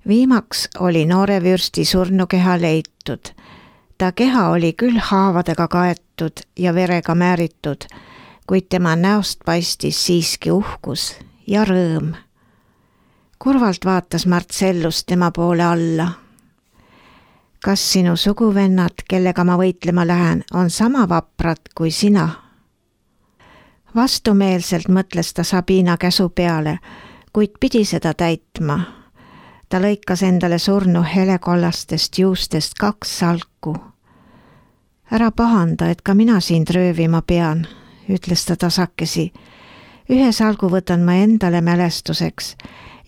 Viimaks oli noore vürsti surnukeha leitud. Ta keha oli küll haavadega kaetud ja verega määritud, kuid tema näost paistis siiski uhkus ja rõõm. Kurvalt vaatas Marcellus tema poole alla. Kas sinu suguvennad, kellega ma võitlema lähen, on sama vaprad kui sina? Vastumeelselt mõtles ta Sabina käsu peale, kuid pidi seda täitma. Ta lõikas endale surnu helekollastest juustest 2 salku. Ära pahanda, et ka mina sind röövima pean, ütles ta tasakesi. 1 salgu võtan ma endale mälestuseks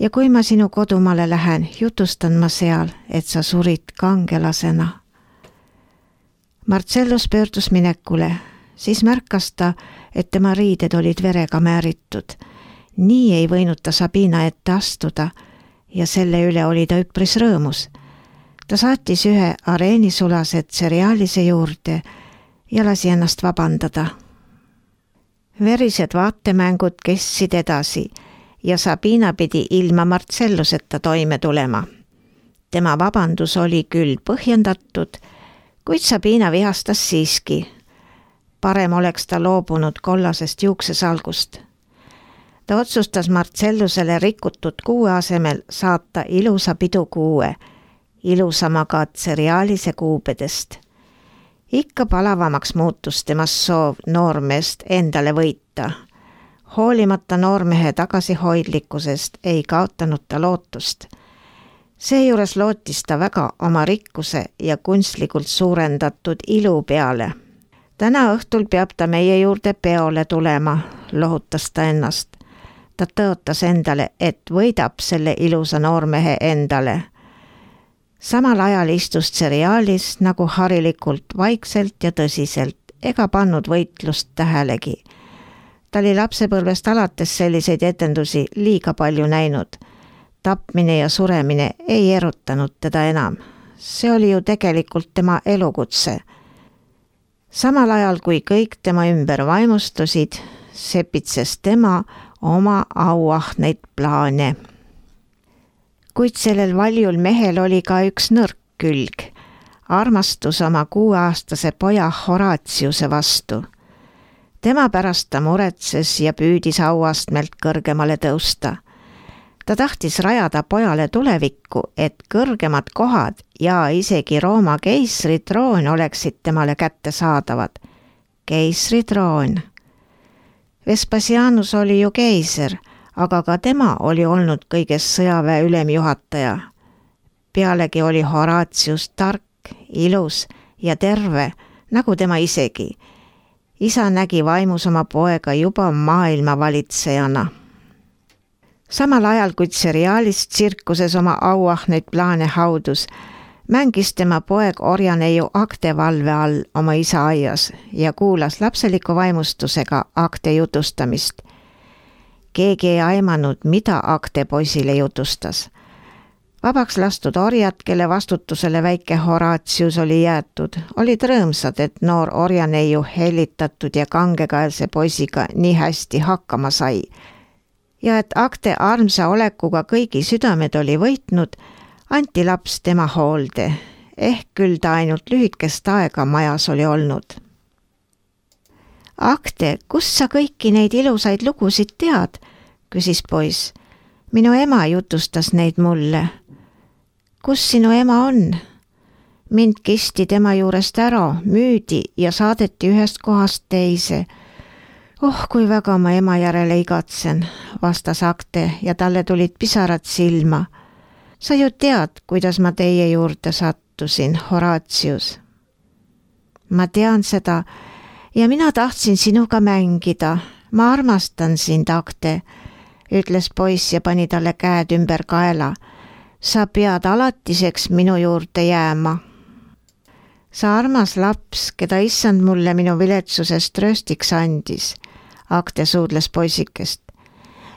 ja kui ma sinu kodumaale lähen, jutustan ma seal, et sa surid kangelasena. Marcellus pöördus minekule, siis märkas ta, et tema riided olid verega määritud. Nii ei võinud ta Sabina ette astuda ja selle üle oli ta üpris rõõmus. Ta saatis 1 areenisulased Cerealise juurde ja lasi ennast vabandada. Verised vaatemängud kestsid edasi ja Sabina pidi ilma Marcelluseta toime tulema. Tema vabandus oli küll põhjendatud, kuid Sabina vihastas siiski. Parem oleks ta loobunud kollasest juuksesalgust. Ta otsustas Marcellusele rikutud kuue asemel saata ilusa pidukuue, ilusamaga Cerealise kuubedest. Ikka palavamaks muutus temas soov noormeest endale võita. Hoolimata noormehe tagasihoidlikkusest ei kaotanud ta lootust. Seejuures lootis ta väga oma rikkuse ja kunstlikult suurendatud ilu peale. Täna õhtul peab ta meie juurde peole tulema, lohutas ta ennast. Ta tõotas endale, et võidab selle ilusa noormehe endale. Samal ajal istus Cerealis nagu harilikult vaikselt ja tõsiselt, ega pannud võitlust tähelegi. Ta oli lapsepõlvest alates selliseid etendusi liiga palju näinud. Tapmine ja suremine ei erutanud teda enam. See oli ju tegelikult tema elukutse. Samal ajal kui kõik tema ümber vaimustusid, sepitses tema oma auahneid plaane. Kuid sellel valjul mehel oli ka üks nõrk külg, armastus oma 6-aastase poja Horatiuse vastu. Tema pärast ta muretses ja püüdis auastmelt kõrgemale tõusta. Ta tahtis rajada pojale tulevikku, et kõrgemad kohad ja isegi Rooma keisritroon oleksid temale kättesaadavad. Keisritroon. Vespasianus oli ju keiser, aga ka tema oli olnud kõiges sõjaväe ülemjuhataja. Pealegi oli Horatius tark, ilus ja terve, nagu tema isegi. Isa nägi vaimus oma poega juba maailma valitsejana. Samal ajal, kui Cerealis tsirkuses oma auahneid plaane haudus, mängis tema poeg orjaneiu Acte valve all oma isa aias ja kuulas lapseliku vaimustusega Acte jutustamist. Keegi ei aimanud, mida Acte poisile jutustas. Vabaks lastud orjad, kelle vastutusele väike Horatius oli jäetud, olid rõõmsad, et noor orjaneiu hellitatud ja kangekaelse poisiga nii hästi hakkama sai. Ja et Acte armsa olekuga kõigi südamed oli võitnud, anti laps tema hoolde, ehk küll ta ainult lühikest aega majas oli olnud. Acte, kus sa kõiki neid ilusaid lugusid tead? Küsis poiss. Minu ema jutustas neid mulle. Kus sinu ema on? Mind kisti tema juurest ära, müüdi ja saadeti ühest kohast teise. Oh, kui väga ma ema järele igatsen, vastas Acte ja talle tulid pisarad silma. Sa ju tead, kuidas ma teie juurde sattusin, Horatius. Ma tean seda ja mina tahtsin sinuga mängida. Ma armastan sind, Acte, ütles poiss ja pani talle käed ümber kaela. Sa pead alatiseks minu juurde jääma. Sa armas laps, keda issand mulle minu viletsusest trööstiks andis, Acte suudles poisikest.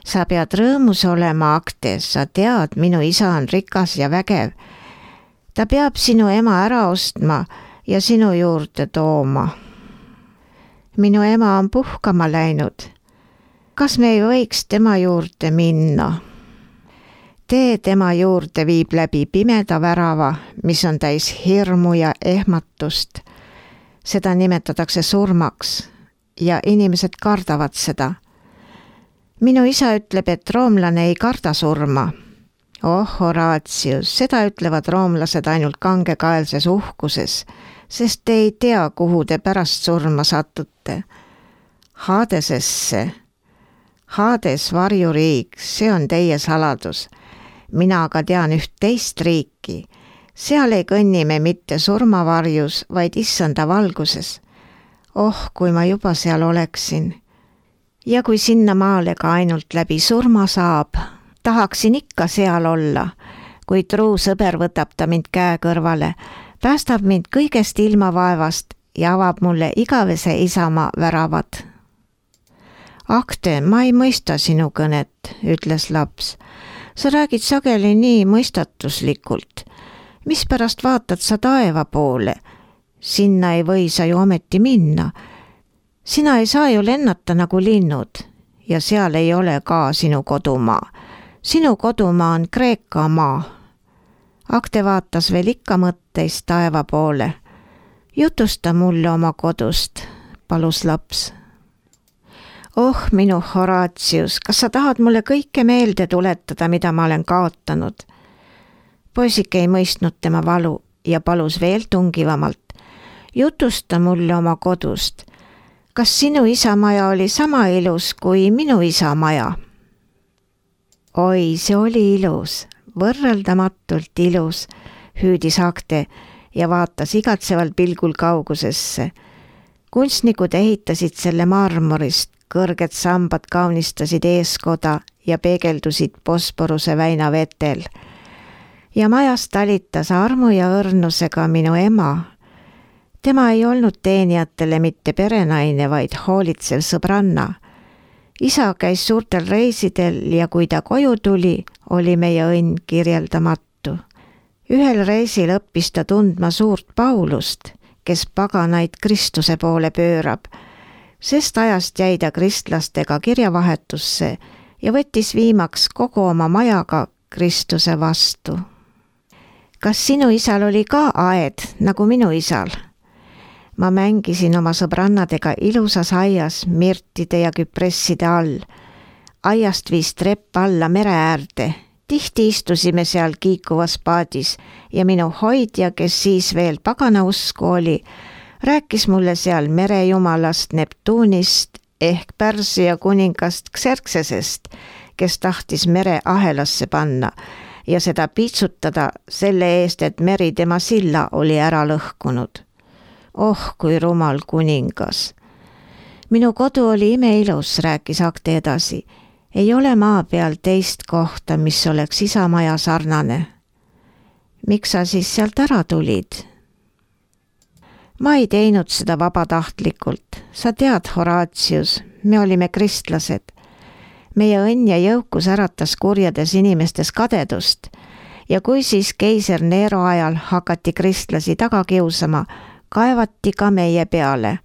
Sa pead rõõmus olema, Acte, sa tead, minu isa on rikas ja vägev. Ta peab sinu ema ära ostma ja sinu juurde tooma. Minu ema on puhkama läinud. Kas me ei võiks tema juurde minna? tee tema juurde viib läbi pimeda värava, mis on täis hirmu ja ehmatust. Seda nimetatakse surmaks ja inimesed kardavad seda. Minu isa ütleb, et roomlane ei karda surma. Oh, Horatius, seda ütlevad roomlased ainult kangekaelses uhkuses, sest te ei tea, kuhu te pärast surma satute. Hadesesse. Hades varjuriik, see on teie saladus. Mina aga tean üht teist riiki. Seal ei kõnni me mitte surmavarjus, vaid issanda valguses. Oh, kui ma juba seal oleksin. Ja kui sinna maale ka ainult läbi surma saab, tahaksin ikka seal olla, kui truu sõber võtab ta mind käe kõrvale, päästab mind kõigest ilmavaevast ja avab mulle igavese isamaa väravad. Akte, ma ei mõista sinu kõnet, ütles laps. Sa räägid sageli nii mõistatuslikult. Mispärast vaatad sa taeva poole? Sinna ei või sa ju ometi minna. Sina ei saa ju lennata nagu linnud ja seal ei ole ka sinu kodumaa. Sinu kodumaa on Kreeka maa. Akte vaatas veel ikka mõtteist taeva poole. Jutusta mulle oma kodust, palus laps. Oh, minu Horatius, kas sa tahad mulle kõike meelde tuletada, mida ma olen kaotanud? Poisike ei mõistnud tema valu ja palus veel tungivamalt. Jutusta mulle oma kodust. Kas sinu isa maja oli sama ilus kui minu isa maja? Oi, see oli ilus, võrreldamatult ilus, hüüdis Akte ja vaatas igatsevalt pilgul kaugusesse. Kunstnikud ehitasid selle marmorist, kõrged sambad kaunistasid eeskoda ja peegeldusid Bosporuse väina vetel. Ja majas talitas armu ja õrnusega minu ema. Tema ei olnud teenijatele mitte perenaine, vaid hoolitsev sõbranna. Isa käis suurtel reisidel ja kui ta koju tuli, oli meie õnn kirjeldamatu. Ühel reisil õppis ta tundma suurt Paulust, kes paganaid Kristuse poole pöörab. Sest ajast jäi ta kristlastega kirjavahetusse ja võttis viimaks kogu oma majaga Kristuse vastu. Kas sinu isal oli ka aed nagu minu isal? Ma mängisin oma sõbrannadega ilusas aias mirtide ja küpresside all. Aiast viis trepp alla mere äärde. Tihti istusime seal kiikuvas paadis ja minu hoidja, kes siis veel pagana usku oli, rääkis mulle seal merejumalast Neptuunist ehk Pärsia kuningast Xerxesest, kes tahtis mere ahelasse panna ja seda piitsutada selle eest, et meri tema silla oli ära lõhkunud. Oh, kui rumal kuningas. Minu kodu oli imeilus, rääkis Akte edasi. Ei ole maa peal teist kohta, mis oleks isa maja sarnane. Miks sa siis sealt ära tulid? Ma ei teinud seda vabatahtlikult. Sa tead, Horatius, me olime kristlased. Meie õnn ja jõukus äratas kurjades inimestes kadedust ja kui siis keiser Nero ajal hakati kristlasi taga kiusama, kaevati ka meie peale.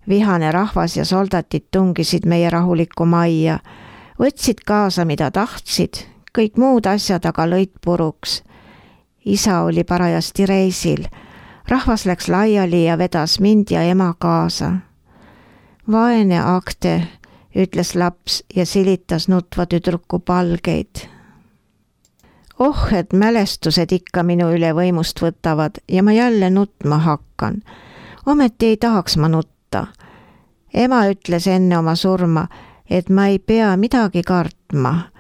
Vihane rahvas ja soldatid tungisid meie rahulikku majja, võtsid kaasa, mida tahtsid, kõik muud asjad aga lõid puruks. Isa oli parajasti reisil. Rahvas läks laiali ja vedas mind ja ema kaasa. Vaene Akte, ütles laps ja silitas nutva tüdruku palgeid. Oh, et mälestused ikka minu üle võimust võtavad ja ma jälle nutma hakkan. Ometi ei tahaks ma nutta. Ema ütles enne oma surma, et ma ei pea midagi kartma.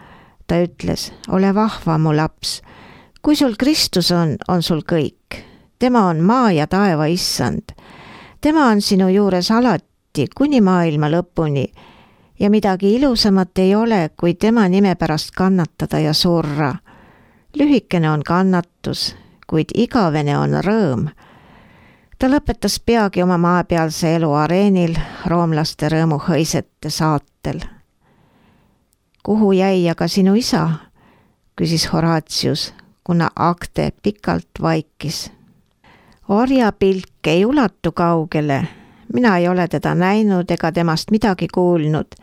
Ta ütles, ole vahva, mu laps. Kui sul Kristus on sul kõik. Tema on maa ja taeva issand. Tema on sinu juures alati kuni maailma lõpuni ja midagi ilusamat ei ole, kui tema nime pärast kannatada ja surra. Lühikene on kannatus, kuid igavene on rõõm. Ta lõpetas peagi oma maapealse elu areenil roomlaste rõõmuhõisete saatel. Kuhu jäi aga sinu isa? Küsis Horatius, kuna Akte pikalt vaikis. Orjapilk ei ulatu kaugele. Mina ei ole teda näinud ega temast midagi kuulnud.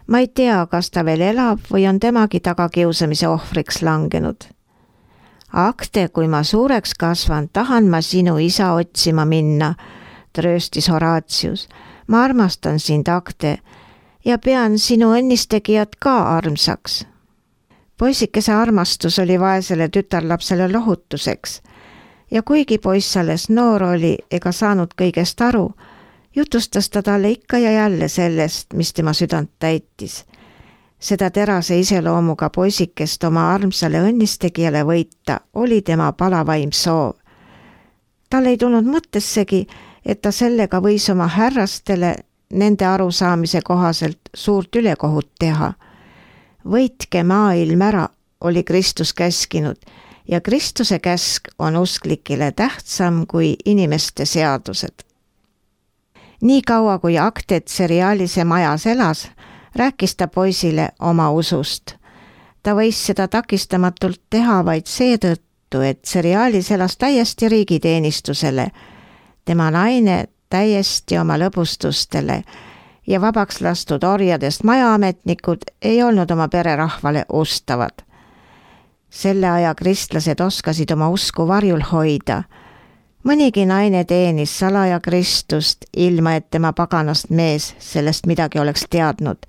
Ma ei tea, kas ta veel elab või on temagi tagakiusamise ohvriks langenud. Akte, kui ma suureks kasvan, tahan ma sinu isa otsima minna, trööstis Horatius. Ma armastan sind, Akte, ja pean sinu õnnistegijat ka armsaks. Poisikese armastus oli vaesele tütarlapsele lohutuseks ja kuigi poiss alles noor oli ega saanud kõigest aru, jutustas ta talle ikka ja jälle sellest, mis tema südant täitis. Seda terase iseloomuga poisikest oma armsale õnnistegijale võita oli tema palavaim soov. Tal ei tulnud mõttessegi, et ta sellega võis oma härrastele nende arusaamise kohaselt suurt ülekohut teha. Võitke maailm ära, oli Kristus käskinud ja Kristuse käsk on usklikile tähtsam kui inimeste seadused. Nii kaua kui Akte Tserialise majas elas, rääkis ta poisile oma usust. Ta võis seda takistamatult teha vaid seetõttu, et Tserialis elas täiesti riigiteenistusele, tema naine täiesti oma lõbustustele ja vabaks lastud orjadest majaametnikud ei olnud oma pererahvale ustavad. Selle aja kristlased oskasid oma usku varjul hoida. Mõnigi naine teenis salaja Kristust, ilma et tema paganast mees sellest midagi oleks teadnud.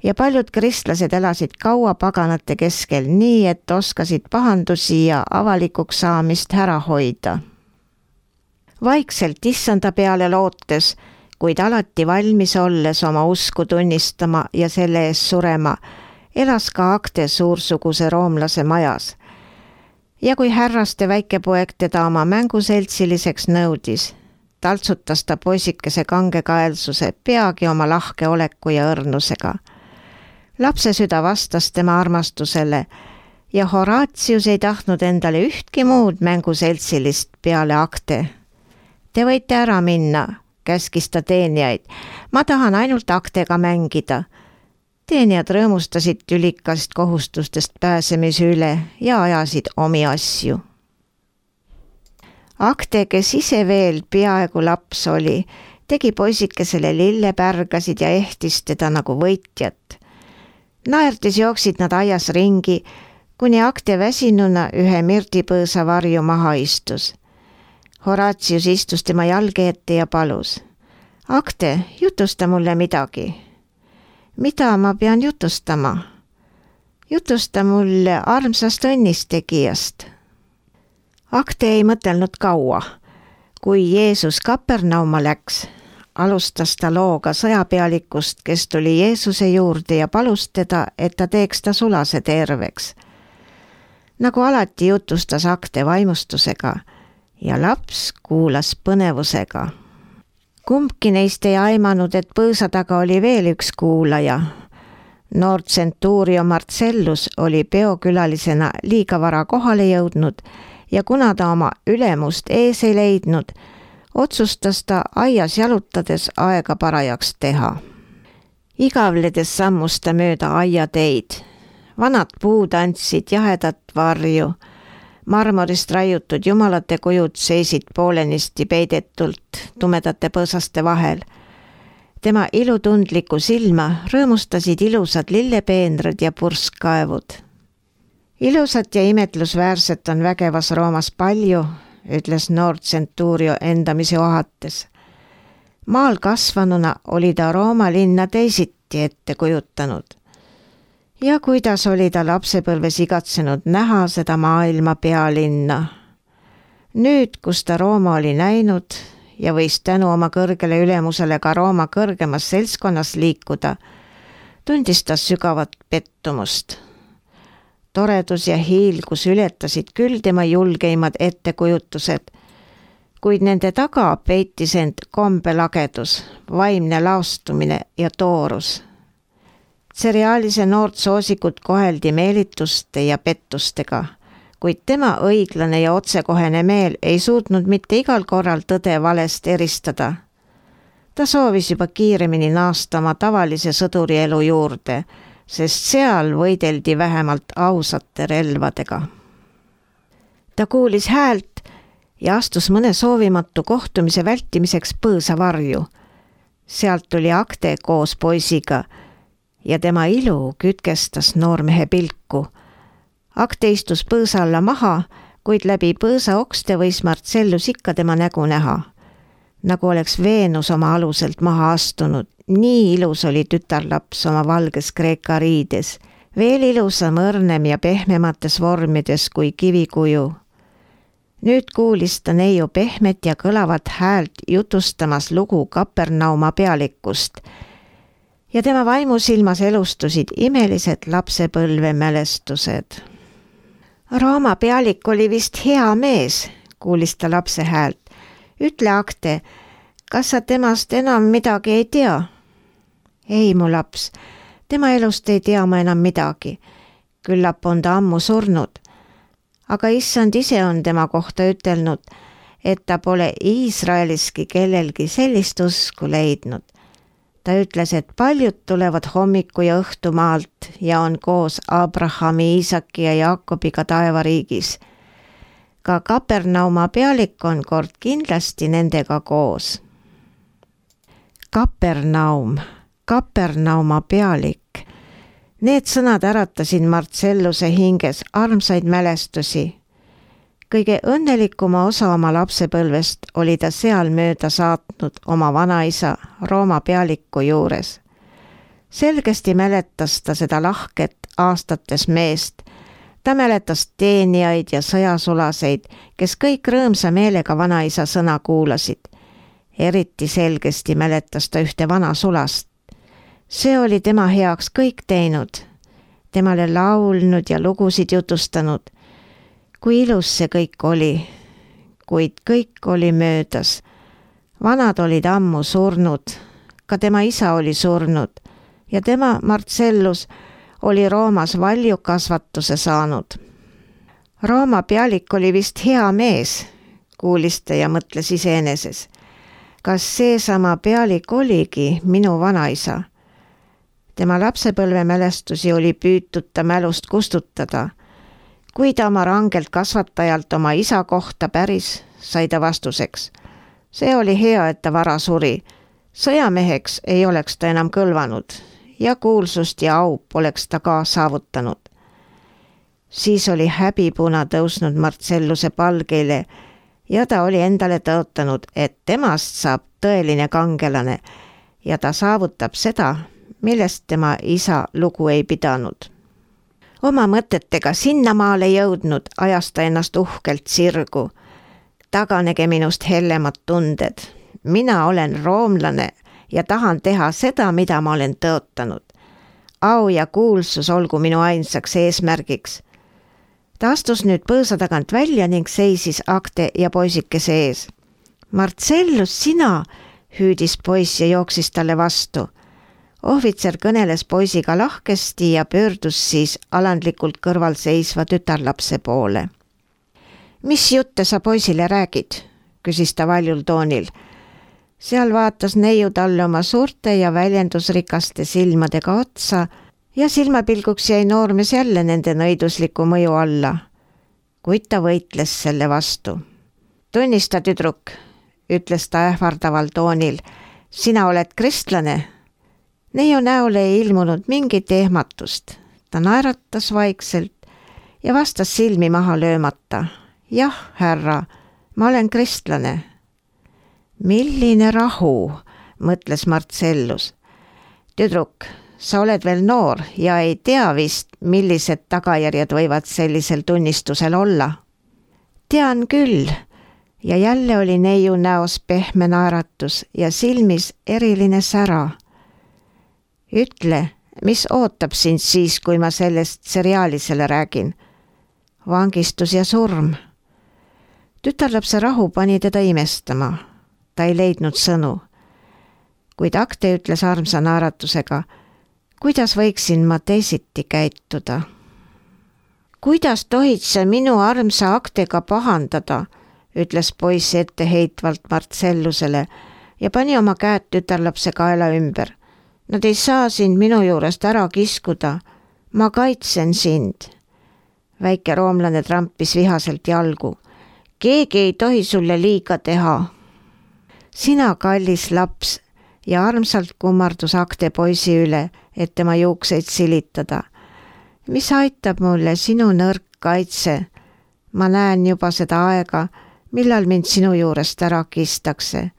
Ja paljud kristlased elasid kaua paganate keskel nii, et oskasid pahandusi ja avalikuks saamist ära hoida. Vaikselt issanda peale lootes, kuid alati valmis olles oma usku tunnistama ja selle ees surema, elas ka Akte suursuguse roomlase majas. Ja kui härraste väikepoeg teda oma mänguseltsiliseks nõudis, taltsutas ta poisikese kangekaelsuse peagi oma lahke oleku ja õrnusega. Lapse süda vastas tema armastusele ja Horatius ei tahtnud endale ühtki muud mänguseltsilist peale Akte. Te võite ära minna, käskis ta teenijaid. Ma tahan ainult Aktega mängida. Teenijad rõõmustasid tülikast kohustustest pääsemise üle ja ajasid omi asju. Akte, kes ise veel peaaegu laps oli, tegi poisikesele lillepärgasid ja ehtis teda nagu võitjat. Naerdes jooksid nad aias ringi, kuni Akte väsinuna ühe mirdipõõsa varju maha istus. Horatius istus tema jalge ette ja palus. Akte, jutusta mulle midagi. Mida ma pean jutustama? Jutusta mulle armsast õnnistegijast. Akte ei mõtelnud kaua. Kui Jeesus Kapernauma läks, alustas ta looga sõjapealikust, kes tuli Jeesuse juurde ja palus teda, et ta teeks ta sulase terveks. Nagu alati jutustas Akte vaimustusega ja laps kuulas põnevusega. Kumbki neist ei aimanud, et põõsa taga oli veel üks kuulaja. Noor tsentuurio Marcellus oli peokülalisena liiga vara kohale jõudnud ja kuna ta oma ülemust ees ei leidnud, otsustas ta aias jalutades aega parajaks teha. Igavledes sammus ta mööda aiateid. Vanad puud andsid jahedat varju. Marmorist raiutud jumalate kujud seisid poolenisti peidetult tumedate põõsaste vahel. Tema ilutundliku silma rõõmustasid ilusad lillepeenrad ja purskkaevud. Ilusat ja imetlusväärset on vägevas Roomas palju, ütles noor tsentuurio endamisi ohates. Maal kasvanuna oli ta Rooma linna teisiti ette kujutanud. Ja kuidas oli ta lapsepõlves igatsenud näha seda maailma pealinna. Nüüd, kus ta Rooma oli näinud ja võis tänu oma kõrgele ülemusele ka Rooma kõrgemas seltskonnas liikuda, tundis ta sügavat pettumust. Toredus ja hiilgus ületasid küll tema julgeimad ettekujutused, kuid nende taga peitis end kombelagedus, vaimne laostumine ja toorus. Tserialise noort soosikut koheldi meelituste ja pettustega, kuid tema õiglane ja otsekohene meel ei suutnud mitte igal korral tõde valest eristada. Ta soovis juba kiiremini naasta oma tavalise sõdurielu juurde, sest seal võideldi vähemalt ausate relvadega. Ta kuulis häält ja astus mõne soovimatu kohtumise vältimiseks põõsa varju. Sealt tuli Akte koos poisiga ja tema ilu kütkestas noormehe pilku. Akte istus põõsa alla maha, kuid läbi põõsa okste võis Marcellus ikka tema nägu näha. Nagu oleks Veenus oma aluselt maha astunud, nii ilus oli tütarlaps oma valges kreeka riides, veel ilusam, õrnem ja pehmemates vormides kui kivikuju. Nüüd kuulis ta neiu pehmet ja kõlavat häält jutustamas lugu Kapernauma pealikust ja tema vaimusilmas elustusid imelised lapsepõlve mälestused. Rooma pealik oli vist hea mees, kuulis ta lapse häält. Ütle, Akte, kas sa temast enam midagi ei tea? Ei, mu laps, tema elust ei tea ma enam midagi. Küllap on ta ammu surnud. Aga issand ise on tema kohta ütelnud, et ta pole Iisraeliski kellelgi sellist usku leidnud. Ta ütles, et paljud tulevad hommiku ja õhtu maalt ja on koos Abrahami, Iisaki ja Jaakobiga taevariigis. Ka Kapernauma pealik on kord kindlasti nendega koos. Kapernauma pealik. Need sõnad äratasid Marcelluse hinges armsaid mälestusi. Kõige õnnelikuma osa oma lapsepõlvest oli ta seal mööda saatnud oma vanaisa Rooma pealiku juures. Selgesti mäletas ta seda lahket aastates meest. Ta mäletas teenijaid ja sõjasulaseid, kes kõik rõõmsa meelega vanaisa sõna kuulasid. Eriti selgesti mäletas ta ühte vana sulast. See oli tema heaks kõik teinud, temale laulnud ja lugusid jutustanud. Kui ilus see kõik oli, kuid kõik oli möödas. Vanad olid ammu surnud, ka tema isa oli surnud ja tema, Marcellus, oli Roomas valjukasvatuse saanud. Rooma pealik oli vist hea mees, kuulis ta ja mõtles iseeneses. Kas seesama pealik oligi minu vanaisa? Tema lapsepõlve mälestusi oli püütud ta mälust kustutada. Kui ta oma rangelt kasvatajalt oma isa kohta päris, sai ta vastuseks. See oli hea, et ta vara suri. Sõjameheks ei oleks ta enam kõlvanud ja kuulsust ja au poleks ta ka saavutanud. Siis oli häbipuna tõusnud Marcelluse palgeile ja ta oli endale tõotanud, et temast saab tõeline kangelane ja ta saavutab seda, millest tema isa lugu ei pidanud. Oma mõtetega sinnamaale jõudnud, ajas ta ennast uhkelt sirgu. Taganege minust hellemad tunded. Mina olen roomlane ja tahan teha seda, mida ma olen tõotanud. Au ja kuulsus olgu minu ainsaks eesmärgiks. Ta astus nüüd põõsa tagant välja ning seisis Akte ja poisikese ees. Marcellus, sina, hüüdis poiss ja jooksis talle vastu. Ohvitser kõneles poisiga lahkesti ja pöördus siis alandlikult kõrval seisva tütarlapse poole. Mis jutte sa poisile räägid? Küsis ta valjul toonil. Seal vaatas neiu talle oma suurte ja väljendusrikaste silmadega otsa ja silmapilguks jäi noormees jälle nende nõidusliku mõju alla. Kuid ta võitles selle vastu. Tunnista, tüdruk, ütles ta ähvardaval toonil. Sina oled kristlane? Neiu näole ei ilmunud mingit ehmatust. Ta naeratas vaikselt ja vastas silmi maha löömata. Jah, härra, ma olen kristlane. Milline rahu, mõtles Marcellus. Tüdruk, sa oled veel noor ja ei tea vist, millised tagajärjed võivad sellisel tunnistusel olla. Tean küll, ja jälle oli neiu näos pehme naeratus ja silmis eriline sära. Ütle, mis ootab sind siis, kui ma sellest seriaalisele räägin? Vangistus ja surm. Tütarlapse rahu pani teda imestama. Ta ei leidnud sõnu. Kuid Akte ütles armsa naeratusega, kuidas võiksin ma teisiti käituda? Kuidas tohid sa minu armsa Aktega pahandada, ütles poiss etteheitvalt Marcellusele ja pani oma käed tütarlapse kaela ümber. Nad ei saa sind minu juurest ära kiskuda. Ma kaitsen sind. Väike roomlane trampis vihaselt jalgu. Keegi ei tohi sulle liiga teha. Sina, kallis laps, ja armsalt kummardus Akte poisi üle, et tema juukseid silitada. Mis aitab mulle sinu nõrk kaitse? Ma näen juba seda aega, millal mind sinu juurest ära kistakse.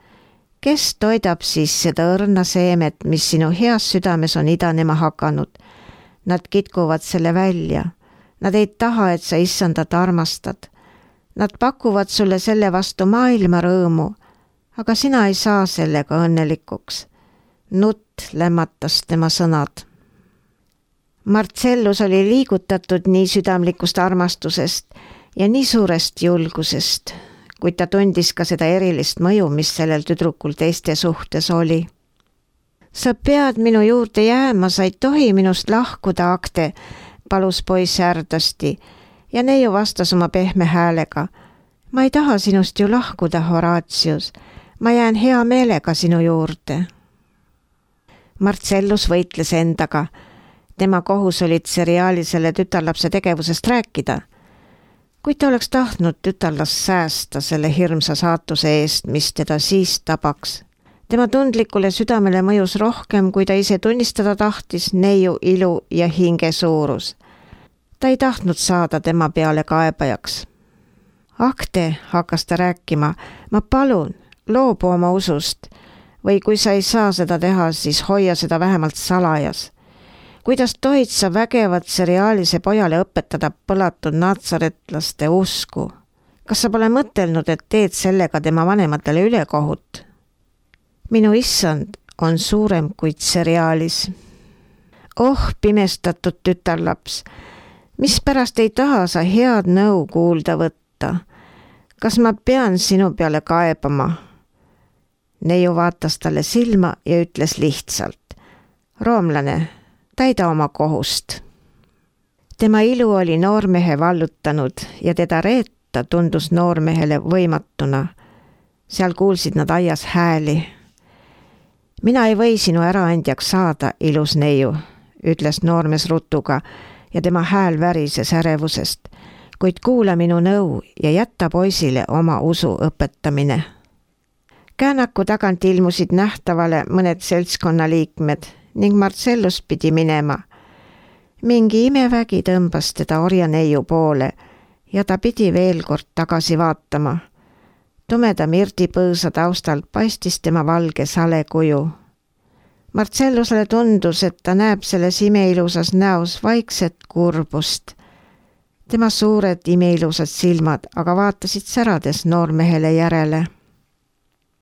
Kes toidab siis seda õrna seemet, mis sinu heas südames on idanema hakanud? Nad kitkuvad selle välja. Nad ei taha, et sa issandat armastad. Nad pakuvad sulle selle vastu maailma rõõmu, aga sina ei saa sellega õnnelikuks. Nutt lämmatas tema sõnad. Marcellus oli liigutatud nii südamlikust armastusest ja nii suurest julgusest, kuid ta tundis ka seda erilist mõju, mis sellel tüdrukul teiste suhtes oli. Sa pead minu juurde jääma, sa ei tohi minust lahkuda, Akte, palus poiss ärdasti ja neiu vastas oma pehme häälega. Ma ei taha sinust ju lahkuda, Horatius. Ma jään hea meelega sinu juurde. Marcellus võitles endaga. Tema kohus oli Tserialisele tütarlapse tegevusest rääkida. Kuid ta oleks tahtnud tütarlast säästa selle hirmsa saatuse eest, mis teda siis tabaks. Tema tundlikule südamele mõjus rohkem, kui ta ise tunnistada tahtis, neiu ilu ja hinge suurus. Ta ei tahtnud saada tema peale kaebajaks. Akte, hakkas ta rääkima, ma palun, loobu oma usust, või kui sa ei saa seda teha, siis hoia seda vähemalt salajas. Kuidas tohid sa vägevat Tserialise pojale õpetada põlatud natsaretlaste usku? Kas sa pole mõtelnud, et teed sellega tema vanematele ülekohut? Minu issand on suurem kui Tserialis. Oh, pimestatud tütarlaps, mispärast ei taha sa head nõu kuulda võtta? Kas ma pean sinu peale kaebama? Neiu vaatas talle silma ja ütles lihtsalt. Roomlane, täida oma kohust. Tema ilu oli noormehe vallutanud ja teda reeta tundus noormehele võimatuna. Seal kuulsid nad aias hääli. Mina ei või sinu äraandjaks saada, ilus neiu, ütles noormes rutuga ja tema hääl värises ärevusest, kuid kuula minu nõu ja jätta poisile oma usu õpetamine. Käänaku tagant ilmusid nähtavale mõned seltskonnaliikmed ning Marcellus pidi minema. Mingi imevägi tõmbas teda orjaneiu poole ja ta pidi veel kord tagasi vaatama. Tumeda mirdipõõsa taustalt paistis tema valge sale kuju. Marcellusele tundus, et ta näeb selles imeilusas näos vaikset kurbust. Tema suured imeilusad silmad aga vaatasid särades noormehele järele.